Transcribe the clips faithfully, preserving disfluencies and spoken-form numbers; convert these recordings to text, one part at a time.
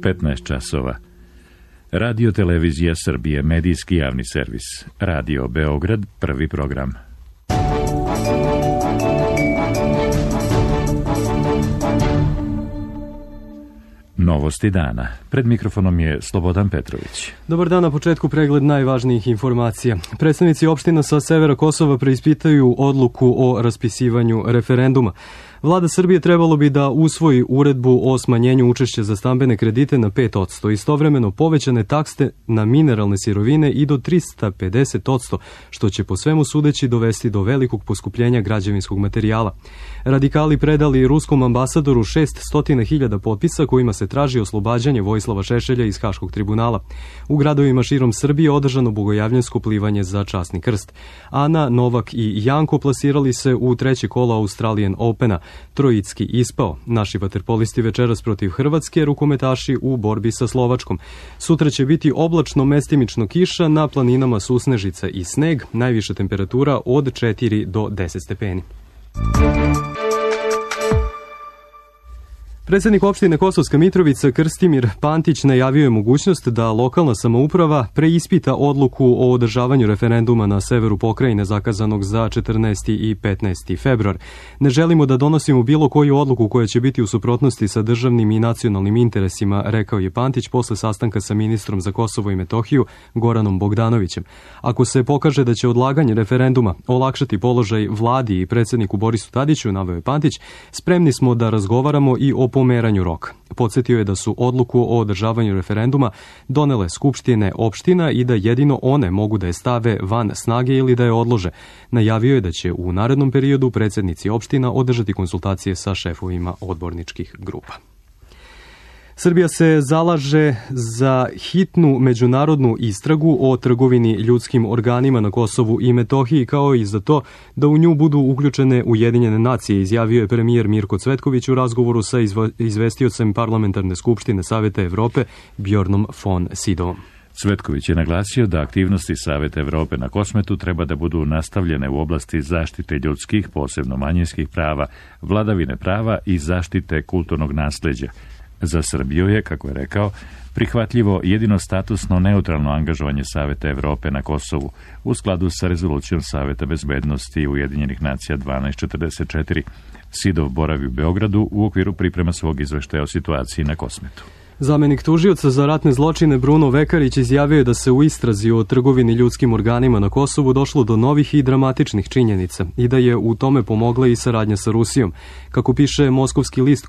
petnaest časova. Radio Televizija Srbije, medijski javni servis. Radio Beograd, prvi program. Novosti dana. Pred mikrofonom je Slobodan Petrović. Dobar dan, na početku pregled najvažnijih informacija. Predstavnici opština sa severa Kosova preispitaju odluku o raspisivanju referenduma. Vlada Srbije trebalo bi da usvoji uredbu o smanjenju učešća za stambene kredite na pet posto, istovremeno povećane takse na mineralne sirovine i do trista pedeset posto, što će po svemu sudeći dovesti do velikog poskupljenja građevinskog materijala. Radikali predali ruskom ambasadoru šessto hiljada potpisa kojima se traži oslobađanje Vojislava Šešelja iz Haškog tribunala. U gradovima širom Srbije održano bogojavljansko plivanje za časni krst. Ana, Novak i Janko plasirali se u treće kolo Australian Opena. Trojicki ispao. Naši vaterpolisti večeras protiv Hrvatske, rukometaši u borbi sa Slovačkom. Sutra će biti oblačno, mestimično kiša, na planinama susnežica i sneg, najviša temperatura od četiri do deset stepeni. Predsednik opštine Kosovska Mitrovica Krstimir Pantić najavio je mogućnost da lokalna samouprava preispita odluku o održavanju referenduma na severu pokrajine zakazanog za četrnaesti i petnaesti februar. Ne želimo da donosimo bilo koju odluku koja će biti u suprotnosti sa državnim i nacionalnim interesima, rekao je Pantić posle sastanka sa ministrom za Kosovo i Metohiju Goranom Bogdanovićem. Ako se pokaže da će odlaganje referenduma olakšati položaj vladi i predsedniku Borisu Tadiću, naveo je Pantić, spremni smo da razgovaramo i o pomeranju roka. Podsjetio je da su odluku o održavanju referenduma donele skupštine opština i da jedino one mogu da je stave van snage ili da je odlože. Najavio je da će u narednom periodu predsednici opština održati konsultacije sa šefovima odborničkih grupa. Srbija se zalaže za hitnu međunarodnu istragu o trgovini ljudskim organima na Kosovu i Metohiji, kao i za to da u nju budu uključene Ujedinjene nacije, izjavio je premijer Mirko Cvetković u razgovoru sa izvestiocem Parlamentarne skupštine Saveta Evrope Bjornom von Sydovom. Cvetković je naglasio da aktivnosti Saveta Evrope na Kosmetu treba da budu nastavljene u oblasti zaštite ljudskih, posebno manjinskih prava, vladavine prava i zaštite kulturnog nasleđa. Za Srbiju je, kako je rekao, prihvatljivo jedino statusno neutralno angažovanje Saveta Evrope na Kosovu u skladu sa rezolucijom Saveta bezbednosti Ujedinjenih nacija dvanaest četrdeset četiri. Sidov boravi u Beogradu u okviru priprema svog izveštaja o situaciji na Kosmetu. Zamenik tužioca za ratne zločine Bruno Vekarić izjavio je da se u istrazi o trgovini ljudskim organima na Kosovu došlo do novih i dramatičnih činjenica i da je u tome pomogla i saradnja sa Rusijom. Kako piše moskovski list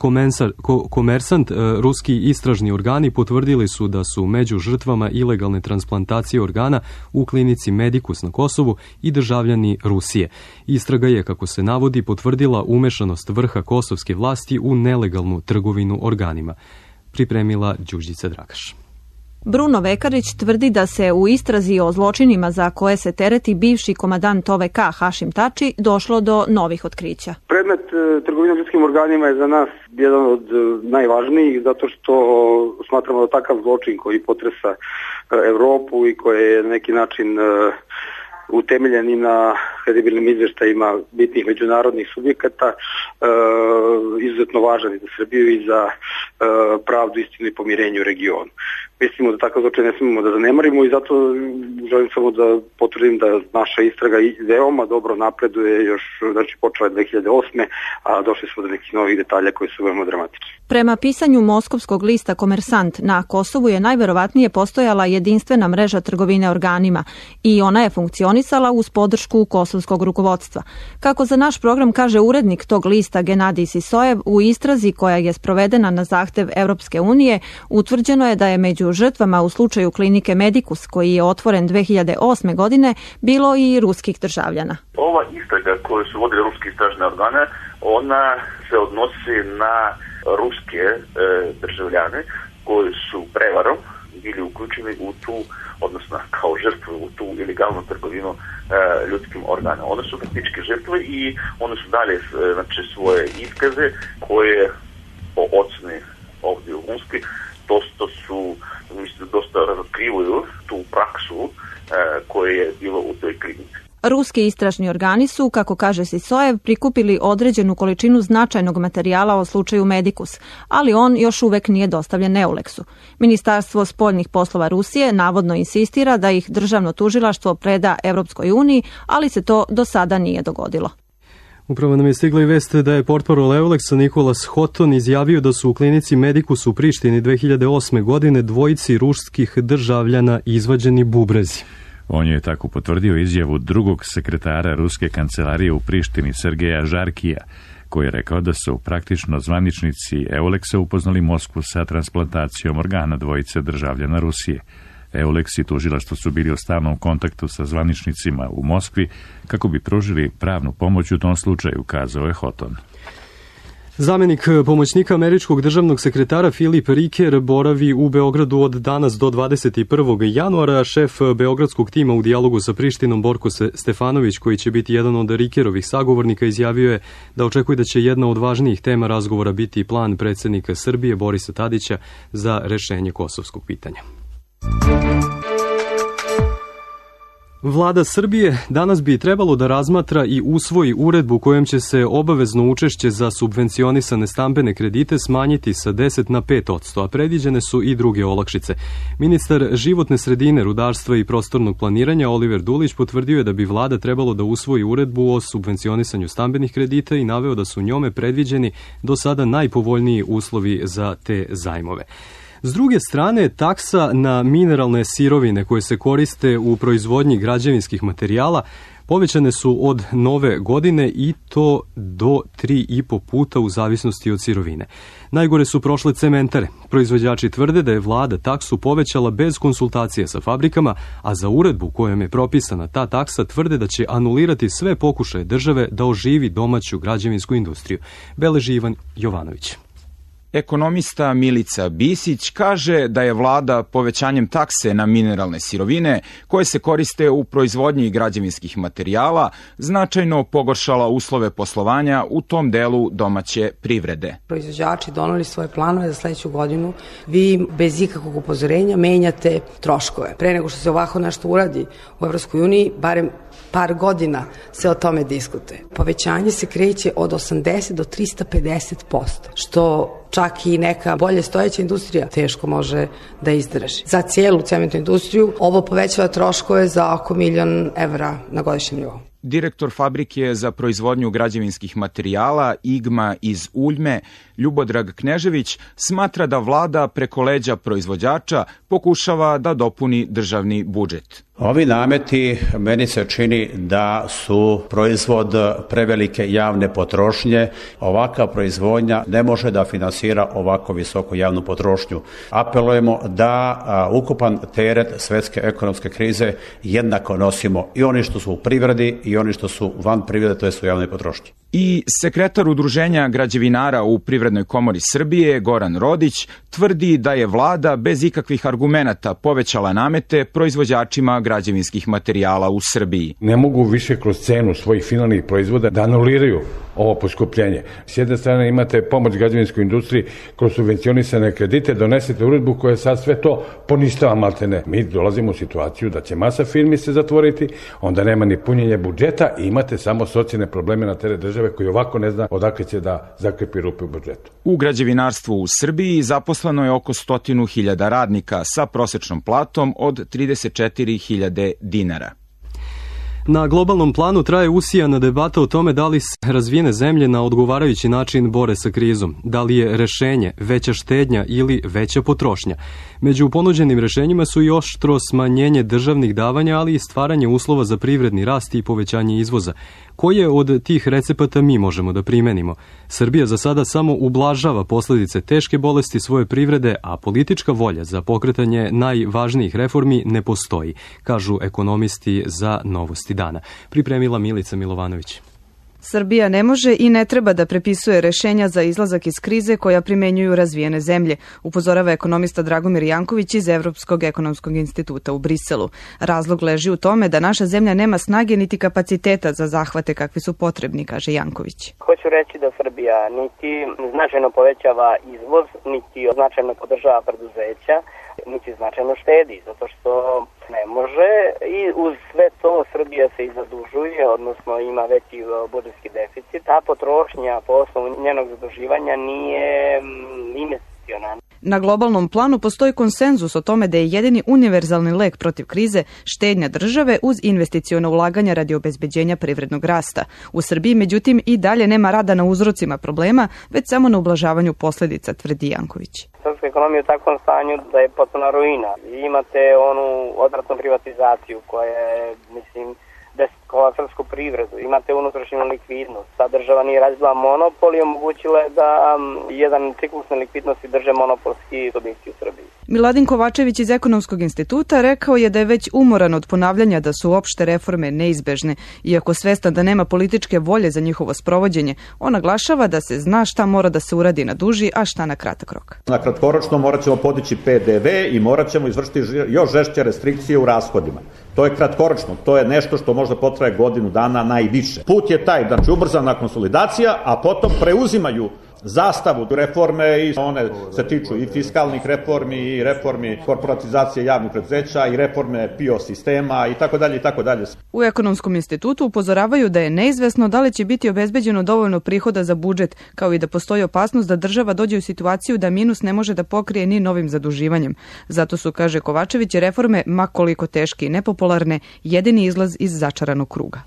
Komersant, ruski istražni organi potvrdili su da su među žrtvama ilegalne transplantacije organa u klinici Medicus na Kosovu i državljani Rusije. Istraga je, kako se navodi, potvrdila umešanost vrha kosovske vlasti u nelegalnu trgovinu organima. Pripremila Đuđica Dragaš. Bruno Vekarić tvrdi da se u istrazi o zločinima za koje se tereti bivši komandant O V K Hašim Tači došlo do novih otkrića. Predmet trgovine ljudskim organima je za nas jedan od najvažnijih zato što smatramo da takav zločin koji potresa Evropu i koji je na neki način utemeljen i na kredibilnim izveštajima bitnih međunarodnih subjekata, e, izuzetno važan i za Srbiju i za e, pravdu, istinu i pomirenje u regionu. Mislimo da takav zločin ne smemo da zanemarimo i zato želim samo da potvrdim da naša istraga veoma dobro napreduje, još znači počela je dve hiljade osme. a došli smo do nekih novih detalja koji su veoma dramatični. Prema pisanju moskovskog lista Komersant, na Kosovu je najverovatnije postojala jedinstvena mreža trgovine organima i ona je funkcionisala uz podršku kosovskog rukovodstva. Kako za naš program kaže urednik tog lista Genadij Sisojev, u istrazi koja je sprovedena na zahtev Evropske unije, utvrđeno je da je među žrtvama u slučaju klinike Medicus, koji je otvoren dve hiljade osme. godine, bilo i ruskih državljana. Ova istraga koju su vodili ruski istražne organe, ona se odnosi na ruske e, državljane koji su prevarom bili uključeni u tu, odnosno kao žrtve u tu ilegalnu trgovinu e, ljudskim organom. One su faktički žrtve i one su dali znači, svoje iskaze koje po oceni ovdje u Unski dosta su, mislim, dosta razotkrivaju tu praksu e, koja je bilo u toj klinici. Ruski istražni organi su, kako kaže Sisojev, prikupili određenu količinu značajnog materijala o slučaju Medicus, ali on još uvek nije dostavljen Eulexu. Ministarstvo spoljnih poslova Rusije navodno insistira da ih državno tužilaštvo preda Evropskoj uniji, ali se to do sada nije dogodilo. Upravo nam je stigla i vest da je portparol Euleksa Nikolas Hoton izjavio da su u klinici Medicus u Prištini dve hiljade osme. godine dvojici ruskih državljana izvađeni bubrezi. On je tako potvrdio izjavu drugog sekretara ruske kancelarije u Prištini Sergeja Žarkija, koji je rekao da su praktično zvaničnici Euleksa upoznali Moskvu sa transplantacijom organa dvojice državljana Rusije. Eulex i tužilaštvo su bili u stalnom kontaktu sa zvaničnicima u Moskvi kako bi pružili pravnu pomoć u tom slučaju, kazao je Hoton. Zamenik pomoćnika američkog državnog sekretara Filip Riker boravi u Beogradu od danas do dvadeset prvog januara. Šef beogradskog tima u dijalogu sa Prištinom Borko Stefanović, koji će biti jedan od Rikerovih sagovornika, izjavio je da očekuje da će jedna od važnijih tema razgovora biti plan predsjednika Srbije Borisa Tadića za rešenje kosovskog pitanja. Vlada Srbije danas bi trebalo da razmatra i usvoji uredbu kojom će se obavezno učešće za subvencionisane stambene kredite smanjiti sa deset na pet posto, a predviđene su i druge olakšice. Ministar životne sredine, rudarstva i prostornog planiranja Oliver Dulić potvrdio je da bi vlada trebalo da usvoji uredbu o subvencionisanju stambenih kredita i naveo da su njome predviđeni do sada najpovoljniji uslovi za te zajmove. S druge strane, taksa na mineralne sirovine koje se koriste u proizvodnji građevinskih materijala povećane su od nove godine i to do tri i po puta u zavisnosti od sirovine. Najgore su prošle cementare. Proizvođači tvrde da je vlada taksu povećala bez konsultacije sa fabrikama, a za uredbu kojom je propisana ta taksa tvrde da će anulirati sve pokušaje države da oživi domaću građevinsku industriju. Beleži Ivan Jovanović. Ekonomista Milica Bisić kaže da je vlada povećanjem takse na mineralne sirovine koje se koriste u proizvodnji građevinskih materijala značajno pogoršala uslove poslovanja u tom delu domaće privrede. Proizvođači doneli svoje planove za sledeću godinu. Vi bez ikakvog upozorenja menjate troškove. Pre nego što se ovako nešto uradi u Evropskoj uniji, barem par godina se o tome diskutuje. Povećanje se kreće od osamdeset do trista pedeset posto, što čak i neka bolje stojeća industrija teško može da izdrži. Za cijelu cementnu industriju ovo povećava troškove za oko milion evra na godišnjem nivou. Direktor fabrike za proizvodnju građevinskih materijala Igma iz Uljme, Ljubodrag Knežević, smatra da vlada preko leđa proizvođača pokušava da dopuni državni budžet. Ovi nameti meni se čini da su proizvod prevelike javne potrošnje. Ovaka proizvodnja ne može da finansira ovako visoku javnu potrošnju. Apelujemo da a, ukupan teret svetske ekonomske krize jednako nosimo i oni što su u privredi i oni što su van privrede, to je su javne potrošnje. I sekretar Udruženja građevinara u Privrednoj komori Srbije, Goran Rodić, tvrdi da je vlada bez ikakvih argumenata povećala namete proizvođačima građevinskih materijala u Srbiji. Ne mogu više kroz cenu svojih finalnih proizvoda da anuliraju ovo poskupljenje. S jedne strane imate pomoć građevinskoj industriji kroz subvencionisane kredite, donesete uredbu koja sad sve to poništava maltene. Mi dolazimo u situaciju da će masa firmi se zatvoriti, onda nema ni punjenja budžeta i imate samo socijalne probleme na teret države koji ovako ne zna odakle će da zakrepi rupe u budžetu. U građevinarstvu u Srbiji zaposleno je oko stotinu hiljada radnika sa prosečnom platom od trideset četiri hiljade dinara. Na globalnom planu traje usijana debata o tome da li se razvijene zemlje na odgovarajući način bore sa krizom, da li je rešenje veća štednja ili veća potrošnja. Među ponuđenim rešenjima su i oštro smanjenje državnih davanja, ali i stvaranje uslova za privredni rast i povećanje izvoza. Koje od tih recepata mi možemo da primenimo? Srbija za sada samo ublažava posledice teške bolesti svoje privrede, a politička volja za pokretanje najvažnijih reformi ne postoji, kažu ekonomisti za Novosti dana. Pripremila Milica Milovanović. Srbija ne može i ne treba da prepisuje rešenja za izlazak iz krize koja primenjuju razvijene zemlje, upozorava ekonomista Dragomir Janković iz Evropskog ekonomskog instituta u Briselu. Razlog leži u tome da naša zemlja nema snage niti kapaciteta za zahvate kakvi su potrebni, kaže Janković. Hoću reći da Srbija niti značajno povećava izvoz, niti značajno podržava preduzeća niti značajno štedi, zato što ne može i uz sve to Srbija se i zadužuje, odnosno ima veći budžetski deficit, a potrošnja po osnovu njenog zaduživanja nije investicionalna. Na globalnom planu postoji konsenzus o tome da je jedini univerzalni lek protiv krize štednja države uz investiciona ulaganja radi obezbeđenja privrednog rasta. U Srbiji, međutim, i dalje nema rada na uzrocima problema, već samo na ublažavanju posledica, tvrdi Janković. Srpska ekonomija je u takvom stanju da je potpuno ruina. Imate onu odvratnu privatizaciju koja je, mislim, desetkovala srpsku privredu, imate unutrašnju likvidnost. Sad država nije razvila monopol i omogućila je da jedan ciklus nelikvidnosti drže monopolski subjekti u Srbiji. Miladin Kovačević iz Ekonomskog instituta rekao je da je već umoran od ponavljanja da su opšte reforme neizbežne. Iako svestan da nema političke volje za njihovo sprovođenje, on naglašava da se zna šta mora da se uradi na duži, a šta na kratak rok. Na kratkoročno morat ćemo podići P D V i morat ćemo izvršiti još žešće restrikcije u rashodima. To je kratkoročno, to je nešto što možda potraje godinu dana najviše. Put je taj, znači ubrzana konsolidacija, a potom preuzimaju zastavu reforme i one se tiču i fiskalnih reformi i reformi korporatizacije javnih preduzeća i reforme P I O sistema i tako dalje i tako dalje. U Ekonomskom institutu upozoravaju da je neizvesno da li će biti obezbeđeno dovoljno prihoda za budžet, kao i da postoji opasnost da država dođe u situaciju da minus ne može da pokrije ni novim zaduživanjem. Zato su, kaže Kovačević, reforme, ma koliko teške i nepopularne, jedini izlaz iz začaranog kruga.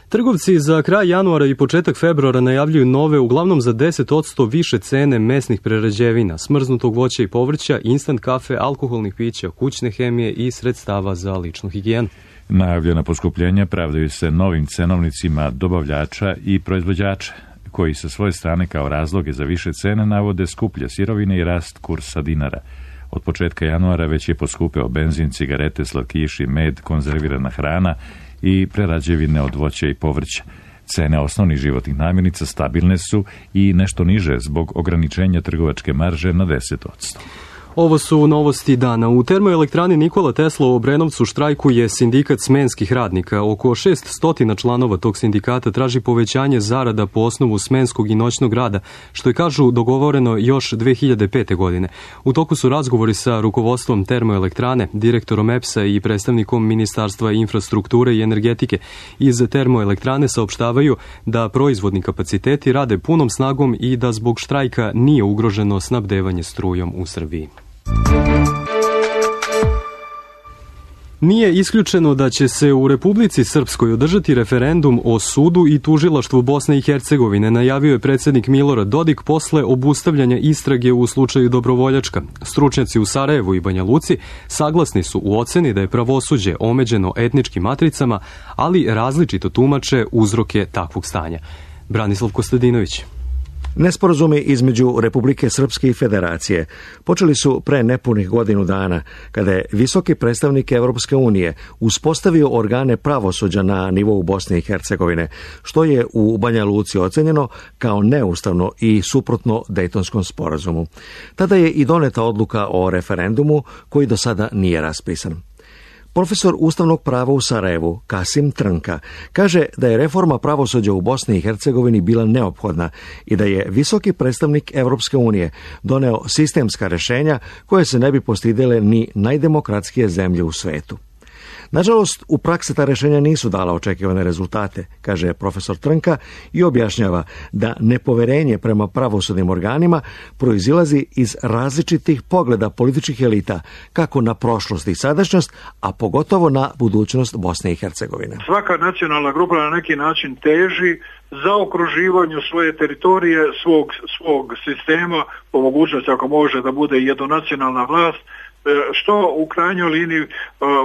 Trgovci za kraj januara i početak februara najavljuju nove, uglavnom za deset posto više cene mesnih prerađevina, smrznutog voća i povrća, instant kafe, alkoholnih pića, kućne hemije i sredstava za ličnu higijenu. Najavljena poskupljenja pravdaju se novim cenovnicima dobavljača i proizvođača, koji sa svoje strane kao razloge za više cene navode skuplje sirovine i rast kursa dinara. Od početka januara već je poskupeo benzin, cigarete, slatkiši, med, konzervirana hrana i prerađevine od voća i povrća. Cene osnovnih životnih namirnica stabilne su i nešto niže zbog ograničenja trgovačke marže na deset posto. Ovo su novosti dana. U termoelektrani Nikola Tesla u Obrenovcu štrajkuje sindikat smenskih radnika. Oko šeststo članova tog sindikata traži povećanje zarada po osnovu smenskog i noćnog rada, što je, kažu, dogovoreno još dve hiljade pete. godine. U toku su razgovori sa rukovodstvom termoelektrane, direktorom E P S-a i predstavnikom Ministarstva infrastrukture i energetike. Iz termoelektrane saopštavaju da proizvodni kapaciteti rade punom snagom i da zbog štrajka nije ugroženo snabdevanje strujom u Srbiji. Nije isključeno da će se u Republici Srpskoj održati referendum o sudu i tužilaštvu Bosne i Hercegovine, najavio je predsjednik Milorad Dodik posle obustavljanja istrage u slučaju Dobrovoljačka. Stručnjaci u Sarajevu i Banja Luci saglasni su u oceni da je pravosuđe omeđeno etničkim matricama, ali različito tumače uzroke takvog stanja. Branislav Kostadinović. Nesporazumi između Republike Srpske i Federacije počeli su pre nepunih godinu dana, kada je visoki predstavnik Evropske unije uspostavio organe pravosuđa na nivou Bosne i Hercegovine, što je u Banja Luci ocenjeno kao neustavno i suprotno Dejtonskom sporazumu. Tada je i doneta odluka o referendumu koji do sada nije raspisan. Profesor ustavnog prava u Sarajevu, Kasim Trnka, kaže da je reforma pravosuđa u Bosni i Hercegovini bila neophodna i da je visoki predstavnik Evropske unije doneo sistemska rešenja koje se ne bi postidele ni najdemokratskije zemlje u svetu. Nažalost, u praksi ta rešenja nisu dala očekivane rezultate, kaže profesor Trnka i objašnjava da nepoverenje prema pravosudnim organima proizilazi iz različitih pogleda političkih elita, kako na prošlost i sadašnjost, a pogotovo na budućnost Bosne i Hercegovine. Svaka nacionalna grupa na neki način teži za okruživanju svoje teritorije, svog, svog sistema, po mogućnosti ako može da bude jednonacionalna vlast, što u krajnjoj liniji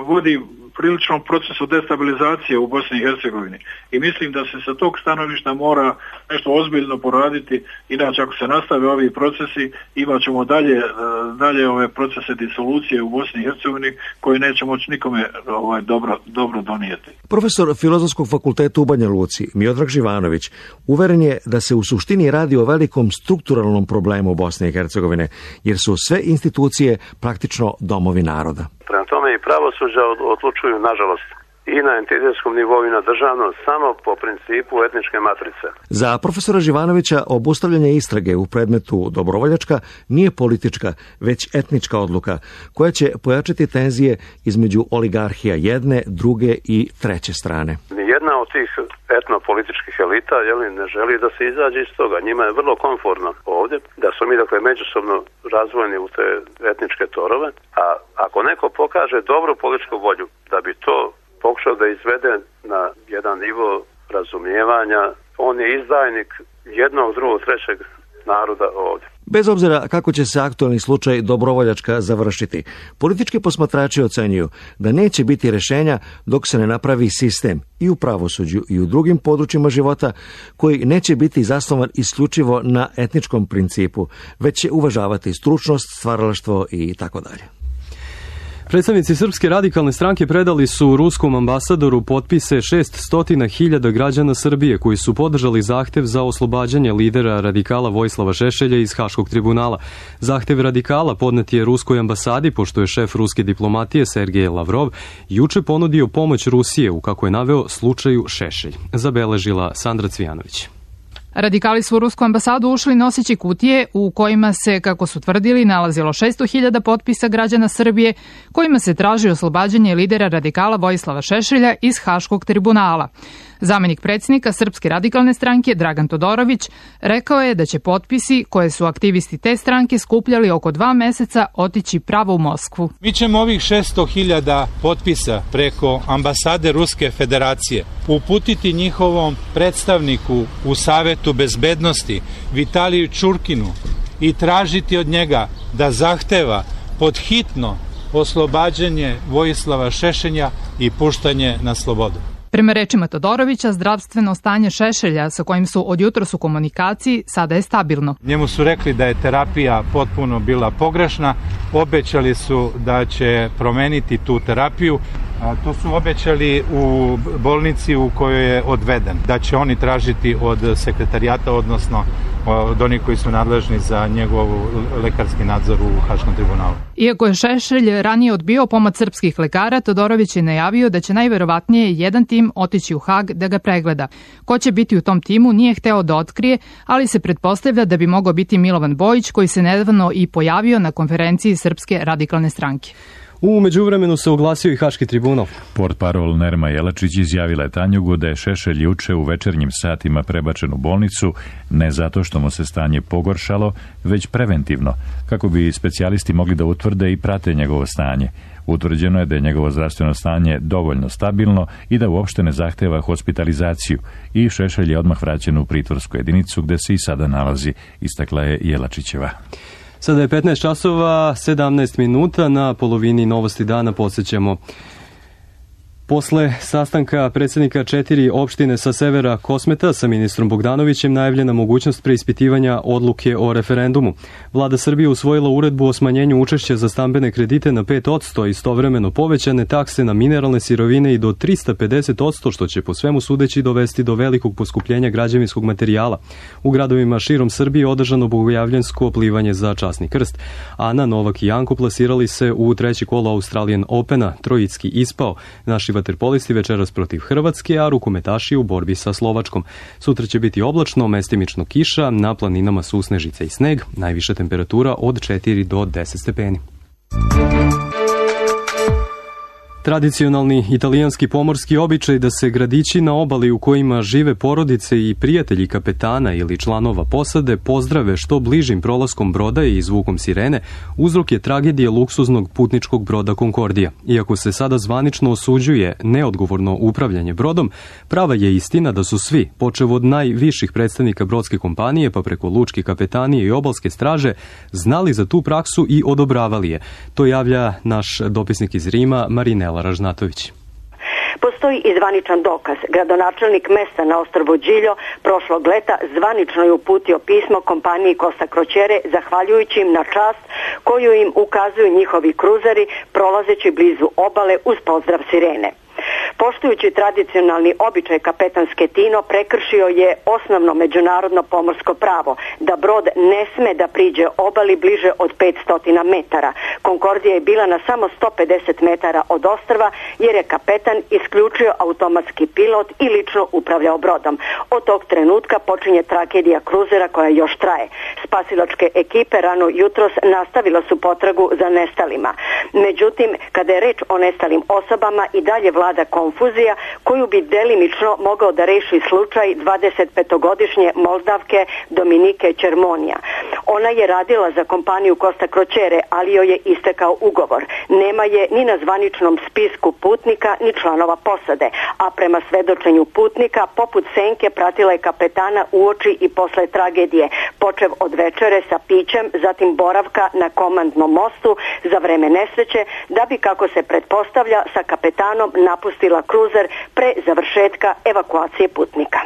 vodi priličnom procesu destabilizacije u Bosni i Hercegovini. I mislim da se sa tog stanovišta mora nešto ozbiljno poraditi, inače ako se nastave ovi procesi, imat ćemo dalje, dalje ove procese disolucije u Bosni i Hercegovini koji neće moći nikome ovaj, dobro, dobro donijeti. Profesor Filozofskog fakulteta u Banja Luci, Miodrag Živanović, uveren je da se u suštini radi o velikom strukturalnom problemu Bosne i Hercegovine, jer su sve institucije praktično domovi naroda. Prema tome i pravosuđa odlučuju, nažalost, i na entitetskom nivou i na državnom, samo po principu etničke matrice. Za profesora Živanovića obustavljanje istrage u predmetu Dobrovoljačka nije politička, već etnička odluka, koja će pojačati tenzije između oligarhija jedne, druge i treće strane. Nijedna od tih etnopolitičkih elita jeli, ne želi da se izađe iz toga. Njima je vrlo komfortno ovdje da su mi dakle međusobno razvojeni u te etničke torove, a ako neko pokaže dobru političku volju da bi to pokušao da izvede na jedan nivo razumijevanja, on je izdajnik jednog, drugog, trećeg naroda ovdje. Bez obzira kako će se aktualni slučaj Dobrovoljačka završiti, politički posmatrači ocenjuju da neće biti rješenja dok se ne napravi sistem i u pravosuđu i u drugim područjima života koji neće biti zasnovan isključivo na etničkom principu, već će uvažavati stručnost, stvaralaštvo i tako dalje. Predstavnici Srpske radikalne stranke predali su ruskom ambasadoru potpise šessto hiljada građana Srbije koji su podržali zahtev za oslobađanje lidera radikala Vojislava Šešelja iz Haškog tribunala. Zahtev radikala podnet je ruskoj ambasadi, pošto je šef ruske diplomatije Sergej Lavrov juče ponudio pomoć Rusije u, kako je naveo, slučaju Šešelj. Zabeležila Sandra Cvijanović. Radikali su u rusku ambasadu ušli noseći kutije u kojima se, kako su tvrdili, nalazilo šesto hiljada potpisa građana Srbije kojima se traži oslobađanje lidera radikala Vojislava Šešelja iz Haškog tribunala. Zamenik predsjednika Srpske radikalne stranke Dragan Todorović rekao je da će potpisi koje su aktivisti te stranke skupljali oko dva meseca otići pravo u Moskvu. Mi ćemo ovih šesto hiljada potpisa preko ambasade Ruske federacije uputiti njihovom predstavniku u Savetu bezbednosti Vitaliju Čurkinu i tražiti od njega da zahteva pod hitno oslobađanje Vojislava Šešelja i puštanje na slobodu. Prema rečima Todorovića, zdravstveno stanje Šešelja, sa kojim su od jutros u komunikaciji, sada je stabilno. Njemu su rekli da je terapija potpuno bila pogrešna, obećali su da će promeniti tu terapiju, a to su obećali u bolnici u kojoj je odveden, da će oni tražiti od sekretarijata, odnosno od onih koji su nadležni za njegov lekarski nadzor u Haškom tribunalu. Iako je Šešelj ranije odbio pomoć srpskih lekara, Todorović je najavio da će najverovatnije jedan tim otići u Hag da ga pregleda. Ko će biti u tom timu nije hteo da otkrije, ali se pretpostavlja da bi mogao biti Milovan Bojić, koji se nedavno i pojavio na konferenciji Srpske radikalne stranke. U međuvremenu se oglasio i Haški tribunal. Portparol Nerma Jelačić izjavila je Tanjugu da je Šešelj juče u večernjim satima prebačen u bolnicu ne zato što mu se stanje pogoršalo, već preventivno, kako bi specijalisti mogli da utvrde i prate njegovo stanje. Utvrđeno je da je njegovo zdravstveno stanje dovoljno stabilno i da uopšte ne zahteva hospitalizaciju i Šešelj je odmah vraćen u pritvorsku jedinicu gde se i sada nalazi, istakla je Jelačićeva. Sada je petnaest časova, sedamnaest minuta, na polovini Novosti dana podsjećamo. Posle sastanka predsjednika četiri opštine sa severa Kosmeta sa ministrom Bogdanovićem najavljena mogućnost preispitivanja odluke o referendumu. Vlada Srbije usvojila uredbu o smanjenju učešća za stambene kredite na pet posto, istovremeno povećane takse na mineralne sirovine i do trista pedeset posto, što će po svemu sudeći dovesti do velikog poskupljenja građevinskog materijala. U gradovima širom Srbije održano bogojavljansko plivanje za časni krst. Ana, Novak i Janko plasirali se u treći kolo Australian Opena, trojicki ispao. Naši vaterpolisti večeras protiv Hrvatske, a rukometaši u borbi sa Slovačkom. Sutra će biti oblačno, mestimično kiša, na planinama su snežice i sneg, najviša temperatura od četiri do deset stepeni. Tradicionalni italijanski pomorski običaj da se gradići na obali u kojima žive porodice i prijatelji kapetana ili članova posade pozdrave što bližim prolaskom broda i zvukom sirene, uzrok je tragedije luksuznog putničkog broda Concordija. Iako se sada zvanično osuđuje neodgovorno upravljanje brodom, prava je istina da su svi, počev od najviših predstavnika brodske kompanije pa preko lučke kapetanije i obalske straže, znali za tu praksu i odobravali je. To javlja naš dopisnik iz Rima, Marinela Ražnatović. Postoji i zvaničan dokaz. Gradonačelnik mesta na ostrvu Điljo prošlog leta zvanično je uputio pismo kompaniji Costa Crociere zahvaljujući im na čast koju im ukazuju njihovi kruzeri prolazeći blizu obale uz pozdrav sirene. Poštujući tradicionalni običaj kapetan Schettino prekršio je osnovno međunarodno pomorsko pravo da brod ne sme da priđe obali bliže od petsto metara. Konkordija je bila na samo sto pedeset metara od ostrva jer je kapetan isključio automatski pilot i lično upravljao brodom. Od tog trenutka počinje tragedija kruzera koja još traje. Spasilačke ekipe rano jutros nastavila su potragu za nestalima. Međutim, kada je reč o nestalim osobama i dalje vlada konfuzija koju bi delimično mogao da reši slučaj dvadesetpetogodišnje Moldavke Dominike Čermonija. Ona je radila za kompaniju Costa Crociere, ali joj je istekao ugovor. Nema je ni na zvaničnom spisku putnika ni članova posade, a prema svedočenju putnika poput senke pratila je kapetana uoči i posle tragedije, počev od večere sa pićem, zatim boravka na komandnom mostu za vreme nesreće, da bi, kako se pretpostavlja, sa kapetanom napustila kruzer pre završetka evakuacije putnika.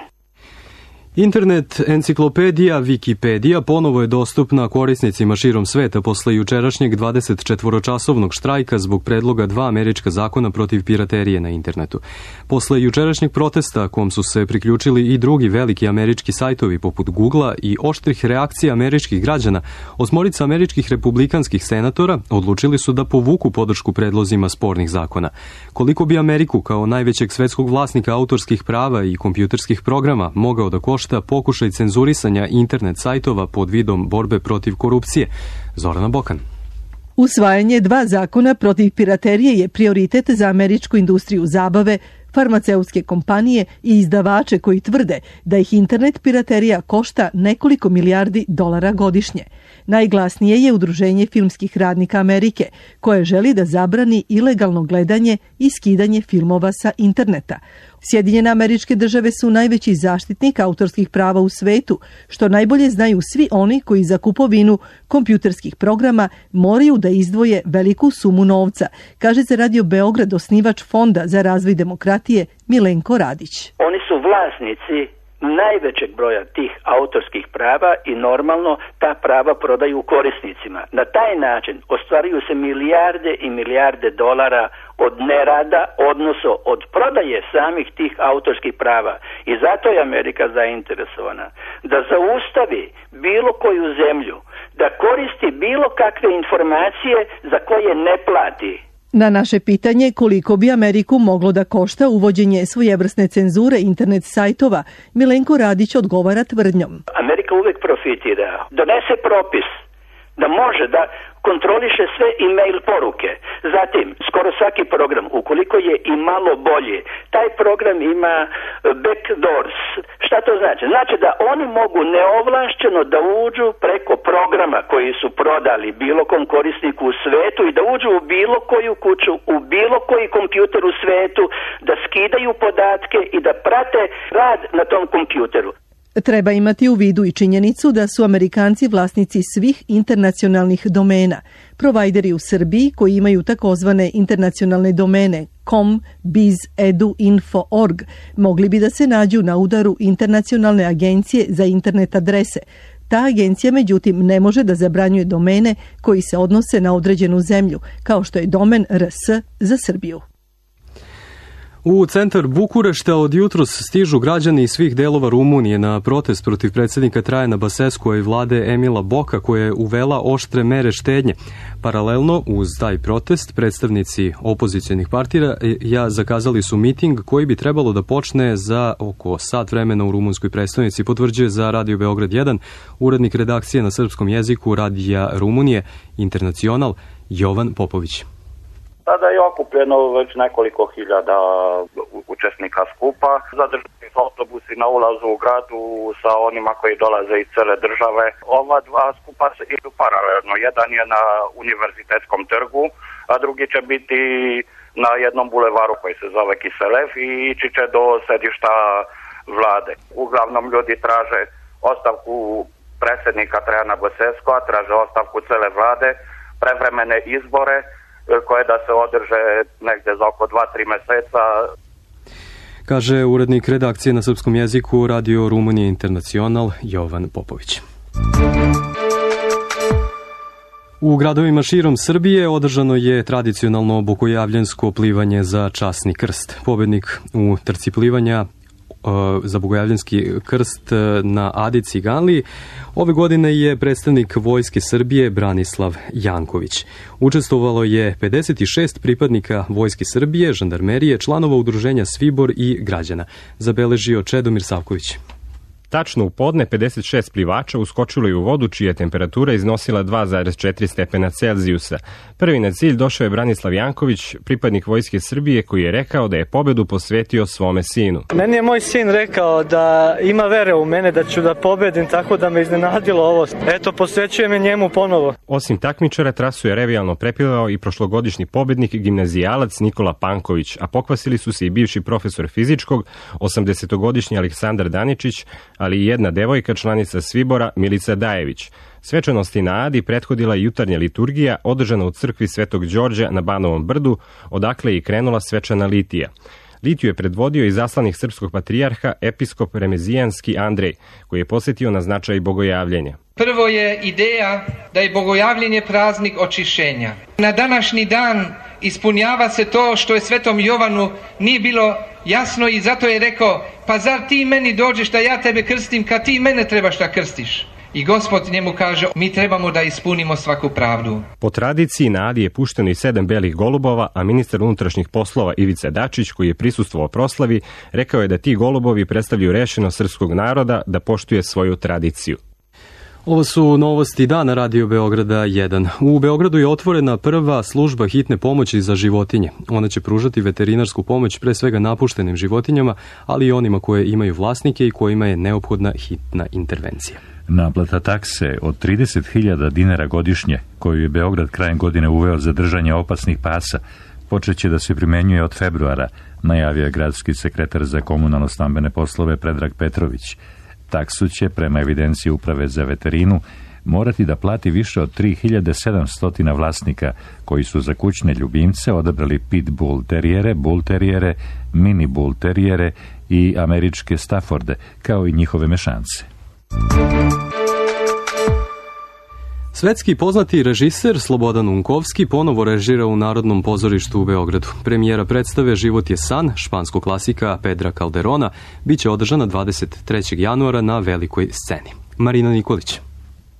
Internet enciklopedija Wikipedia ponovo je dostupna korisnicima širom sveta posle jučerašnjeg dvadesetčetvoročasovnog štrajka zbog predloga dva američka zakona protiv piraterije na internetu. Posle jučerašnjeg protesta kom su se priključili i drugi veliki američki sajtovi poput Googlea i oštrih reakcija američkih građana, osmorica američkih republikanskih senatora odlučili su da povuku podršku predlozima spornih zakona. Koliko bi Ameriku kao najvećeg svetskog vlasnika autorskih prava i kompjuterskih programa mogao da košta pokušaj cenzurisanja internet sajtova pod vidom borbe protiv korupcije? Zorana Bokan. Usvajanje dva zakona protiv piraterije je prioritet za američku industriju zabave, farmaceutske kompanije i izdavače koji tvrde da ih internet piraterija košta nekoliko milijardi dolara godišnje. Najglasnije je Udruženje filmskih radnika Amerike, koje želi da zabrani ilegalno gledanje i skidanje filmova sa interneta. Sjedinjene Američke Države su najveći zaštitnik autorskih prava u svetu, što najbolje znaju svi oni koji za kupovinu kompjuterskih programa moraju da izdvoje veliku sumu novca, kaže za Radio Beograd osnivač Fonda za razvoj demokratije Milenko Radić. Oni su vlasnici najvećeg broja tih autorskih prava i normalno ta prava prodaju korisnicima. Na taj način ostvaruju se milijarde i milijarde dolara od nerada, odnosno od prodaje samih tih autorskih prava. I zato je Amerika zainteresovana da zaustavi bilo koju zemlju, da koristi bilo kakve informacije za koje ne plati. Na naše pitanje koliko bi Ameriku moglo da košta uvođenje svojevrsne cenzure internet sajtova, Milenko Radić odgovara tvrdnjom. Amerika uvek profitira. Donese propis da može da kontroliše sve e-mail poruke. Zatim, skoro svaki program, ukoliko je i malo bolji, taj program ima backdoors. Šta to znači? Znači da oni mogu neovlašćeno da uđu preko programa koji su prodali bilo kom korisniku u svetu i da uđu u bilo koju kuću, u bilo koji kompjuter u svetu, da skidaju podatke i da prate rad na tom kompjuteru. Treba imati u vidu i činjenicu da su Amerikanci vlasnici svih internacionalnih domena. Provajderi u Srbiji koji imaju takozvane internacionalne domene com, biz, edu, info, org mogli bi da se nađu na udaru Internacionalne agencije za internet adrese. Ta agencija, međutim, ne može da zabranjuje domene koji se odnose na određenu zemlju, kao što je domen R S za Srbiju. U centar Bukurešta od jutros stižu građani iz svih delova Rumunije na protest protiv predsjednika Trajana Basescua i vlade Emila Boka koja je uvela oštre mere štednje. Paralelno uz taj protest predstavnici opozicionih partija ja zakazali su miting koji bi trebalo da počne za oko sat vremena u rumunskoj prestonici, potvrđuje za Radio Beograd jedan urednik redakcije na srpskom jeziku Radija Rumunije Internacional Jovan Popović. Tada je okupljeno već nekoliko hiljada učesnika skupa. Zadržani su autobusi na ulazu u gradu sa onima koji dolaze iz cele države. Ova dva skupa se idu paralelno. Jedan je na Univerzitetskom trgu, a drugi će biti na jednom bulevaru koji se zove Kiselev i ići će do sedišta vlade. Uglavnom ljudi traže ostavku predsjednika Trajana Basescua, traže ostavku cele vlade, prevremene izbore koje da se održe negde za oko dva do tri meseca. Kaže urednik redakcije na srpskom jeziku Radio Rumunije Internacional Jovan Popović. U gradovima širom Srbije održano je tradicionalno bogojavljansko plivanje za časni krst. Pobednik u trci plivanja za bogojavljanski krst na Adi Ciganliji ove godine je predstavnik Vojske Srbije Branislav Janković. Učestvovalo je pedeset šest pripadnika Vojske Srbije, žandarmerije, članova udruženja Svibor i građana. Zabeležio Čedomir Savković. Tačno u podne pedeset šest plivača uskočilo je u vodu čija je temperatura iznosila dva zarez četiri stepena Celzijusa. Prvi na cilj došao je Branislav Janković, pripadnik Vojske Srbije, koji je rekao da je pobedu posvetio svome sinu. Meni je moj sin rekao da ima vere u mene, da ću da pobedim, tako da me iznenadilo ovo. Eto, posvećujem je njemu ponovo. Osim takmičara, trasu je revijalno prepilao i prošlogodišnji pobednik gimnazijalac Nikola Panković, a pokvasili su se i bivši profesor fizičkog, osamdesetogodišnji Aleksandar Daničić, ali i jedna devojka, članica Svibora, Milica Dajević. Svečanosti na Adi prethodila je jutarnja liturgija održana u crkvi Svetog Đorđa na Banovom brdu, odakle je i krenula svečana litija. Litiju je predvodio i zaslanik srpskog patrijarha, episkop Remezijanski Andrej, koji je posjetio na značaj bogojavljenja. Prvo je ideja da je bogojavljenje praznik očišćenja. Na današnji dan ispunjava se to što je Svetom Jovanu nije bilo jasno i zato je rekao, pa zar ti meni dođeš da ja tebe krstim kad ti mene trebaš da krstiš? I Gospod njemu kaže, mi trebamo da ispunimo svaku pravdu. Po tradiciji na Adi je pušteno i sedam belih golubova, a ministar unutrašnjih poslova Ivica Dačić, koji je prisustvovao proslavi, rekao je da ti golubovi predstavljaju rešenost srpskog naroda da poštuje svoju tradiciju. Ovo su novosti dana Radio Beograda jedan. U Beogradu je otvorena prva služba hitne pomoći za životinje. Ona će pružati veterinarsku pomoć pre svega napuštenim životinjama, ali i onima koje imaju vlasnike i kojima je neophodna hitna intervencija. Naplata takse od trideset hiljada dinara godišnje, koju je Beograd krajem godine uveo za držanje opasnih pasa, počeće da se primenjuje od februara, najavio je gradski sekretar za komunalno-stambene poslove Predrag Petrović. Taksu će, prema evidenciji Uprave za veterinu, morati da plati više od tri hiljade sedamsto vlasnika koji su za kućne ljubimce odabrali pit bull terijere, bull terijere, mini bull terijere i američke Stafforde, kao i njihove mešance. Svetski poznati režiser Slobodan Unkovski ponovo režira u Narodnom pozorištu u Beogradu. Premijera predstave Život je san, španskog klasika Pedra Calderona, biće održana dvadeset trećeg januara na velikoj sceni. Marina Nikolić.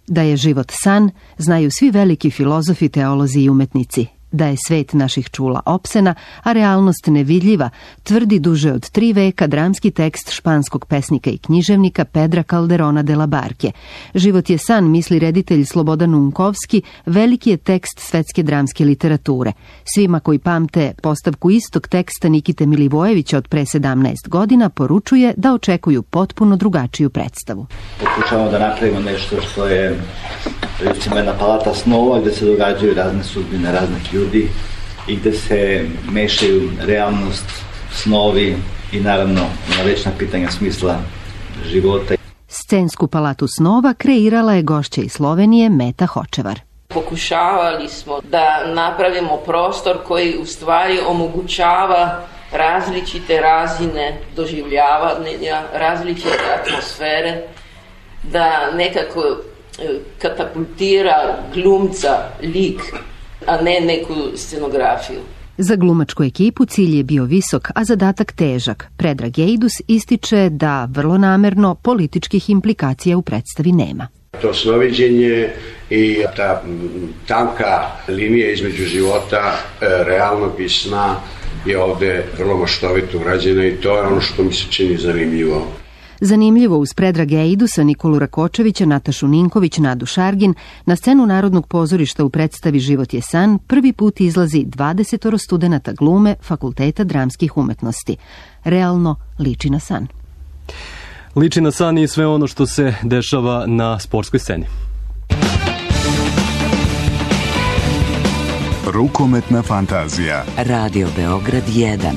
Da je život san, znaju svi veliki filozofi, teolozi i umetnici. Da je svet naših čula opsena, a realnost nevidljiva, tvrdi duže od tri veka dramski tekst španskog pesnika i književnika Pedra Calderona de la Barke. Život je san, misli reditelj Slobodan Unkovski, veliki je tekst svetske dramske literature. Svima koji pamte postavku istog teksta Nikite Milivojevića od pre sedamnaest godina poručuje da očekuju potpuno drugačiju predstavu. Pokušavamo da napravimo nešto što je recimo jedna palata snova gde se događaju razne sudbine raznih ljudi i gde se mešaju realnost, snovi i naravno na večna pitanja smisla života. Scensku palatu snova kreirala je gošća iz Slovenije Meta Hočevar. Pokušavali smo da napravimo prostor koji u stvari omogućava različite razine doživljavanja, različite atmosfere, da nekako katapultira glumca, lik, a ne neku scenografiju. Za glumačku ekipu cilj je bio visok, a zadatak težak. Predrag Ejdus ističe da vrlo namerno političkih implikacija u predstavi nema. To snoviđenje i ta tanka linija između života, realnog i sna je ovde vrlo maštovito urađena i to je ono što mi se čini zanimljivo. Zanimljivo, uz Predraga Eidusa, Nikolu Rakočevića, Natašu Ninković, Nadu Šargin, na scenu Narodnog pozorišta u predstavi Život je san prvi put izlazi dvadesetoro studenata glume Fakulteta dramskih umetnosti. Realno liči na san. Liči na san i sve ono što se dešava na sportskoj sceni. Rukometna fantazija. Radio Beograd jedan.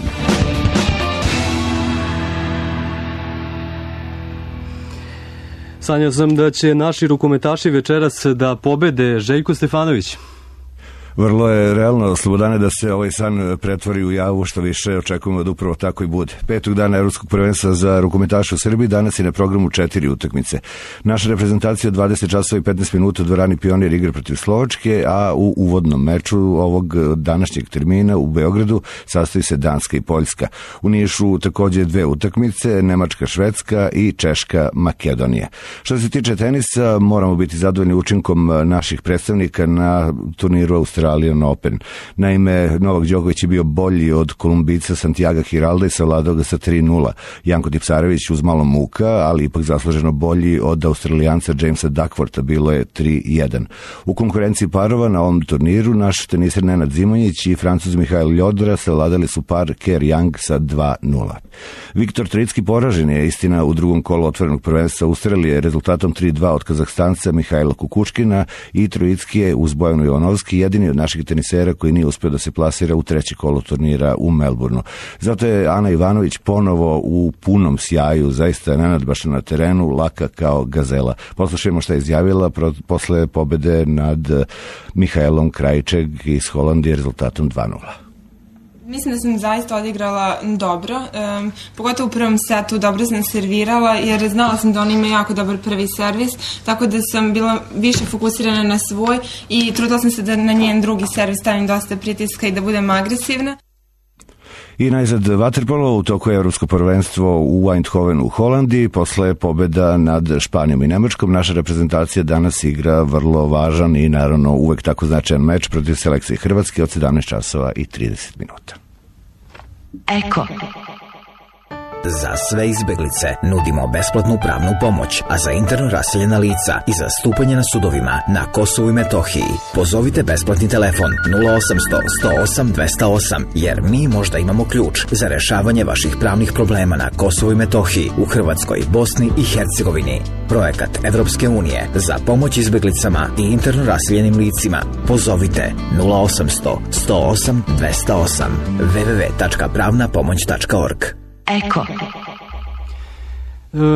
Sanjao sam da će naši rukometaši večeras da pobede. Željko Stefanović. Vrlo je realno, Slobodane, da se ovaj san pretvori u javu, što više očekujemo da upravo tako i bude. Petog dana Evropskog prvenstva za rukometaše u Srbiji danas je na programu četiri utakmice. Naša reprezentacija od dvadeset časova i petnaest minuta u dvorani Pionir igra protiv Slovačke, a u uvodnom meču ovog današnjeg termina u Beogradu sastoji se Danska i Poljska. U Nišu takođe dve utakmice, Nemačka, Švedska i Češka, Makedonija. Što se tiče tenisa, moramo biti zadovoljni učinkom naših predstavnika na turniru Australije Australian Open. Naime, Novak Đoković je bio bolji od Kolumbica Santiaga Hiralda i savladao ga sa tri nula. Janko Tipsarević uz malo muka, ali ipak zasluženo bolji od Australijanca Jamesa Duckwortha, bilo je tri jedan. U konkurenciji parova na ovom turniru naš teniser Nenad Zimonjić i Francuz Mihail Ljodra savladali su par Kerr Young sa dva nula. Viktor Tricki poražen je, istina, u drugom kolu otvorenog prvenstva Australije rezultatom tri dva od Kazahstanca Mihajla Kukučkina i Trojicki je uz Bojanu Jovanovski jedini od naših tenisera koji nije uspio da se plasira u treći kolo turnira u Melbourneu. Zato je Ana Ivanović ponovo u punom sjaju, zaista nenadbašna na terenu, laka kao gazela. Poslušajmo šta je izjavila pro, posle pobede nad Mihajlom Krajčeg iz Holandije rezultatom dva nula. Mislim da sam zaista odigrala dobro, um, pogotovo u prvom setu dobro sam servirala jer znala sam da on ima jako dobar prvi servis, tako da sam bila više fokusirana na svoj i trudila sam se da na njen drugi servis stavim dosta pritiska i da budem agresivna. I najzad vaterpolo, u toku je Evropsko prvenstvo u Eindhovenu u Holandiji, posle pobeda nad Španijom i Nemačkom. Naša reprezentacija danas igra vrlo važan i naravno uvek tako značajan meč protiv selekcije Hrvatske od sedamnaest časova i trideset minuta. Eko. Za sve izbeglice nudimo besplatnu pravnu pomoć, a za interno raseljena lica i za stupanje na sudovima na Kosovu i Metohiji pozovite besplatni telefon nula osamsto sto osam dvesta osam, jer mi možda imamo ključ za rešavanje vaših pravnih problema na Kosovu i Metohiji, u Hrvatskoj, Bosni i Hercegovini. Projekat Evropske unije za pomoć izbeglicama i interno raseljenim licima. Pozovite nula osamsto sto osam dvesta osam w w w tačka pravna pomoć tačka org. Eko.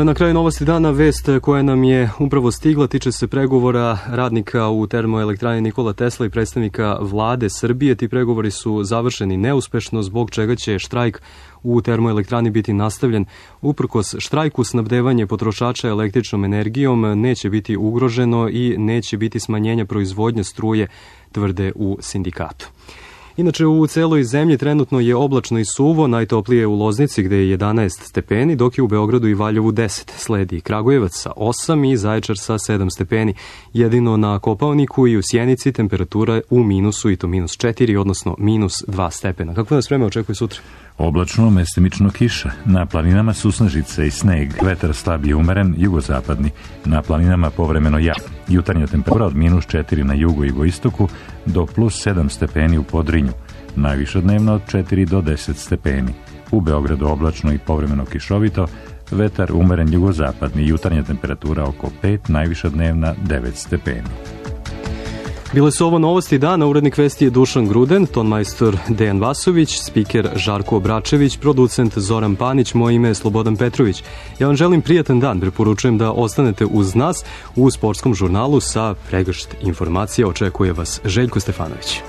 Na kraju novosti dana vest koja nam je upravo stigla tiče se pregovora radnika u termoelektrani Nikola Tesla i predstavnika vlade Srbije. Ti pregovori su završeni neuspešno, zbog čega će štrajk u termoelektrani biti nastavljen. Uprkos štrajku, snabdevanje potrošača električnom energijom neće biti ugroženo i neće biti smanjenja proizvodnje struje, tvrde u sindikatu. Inače, u celoj zemlji trenutno je oblačno i suvo, najtoplije u Loznici gde je jedanaest stepeni, dok je u Beogradu i Valjevu deset. Sledi Kragujevac sa osam i Zaječar sa sedam stepeni. Jedino na Kopaoniku i u Sjenici temperatura u minusu, i to minus četiri, odnosno minus dva stepena. Kako nas vreme očekuje sutra? Oblačno, mestimično kiša. Na planinama susnežice i sneg. Vetar slab i umeren, jugozapadni. Na planinama povremeno jak. Jutarnja temperatura od minus četiri na jugu i jugoistoku do plus sedam stepeni u Podrinju. Najviša dnevno od četiri do deset stepeni. U Beogradu oblačno i povremeno kišovito. Vetar umeren jugozapadni. Jutarnja temperatura oko pet, najviša dnevna devet stepeni. Bile su ovo novosti dana, urednik vesti je Dušan Gruden, tonmajstor Dejan Vasović, spiker Žarko Obračević, producent Zoran Panić, moje ime je Slobodan Petrović. Ja vam želim prijatan dan, preporučujem da ostanete uz nas u sportskom žurnalu sa pregršt informacija. Očekuje vas Željko Stefanović.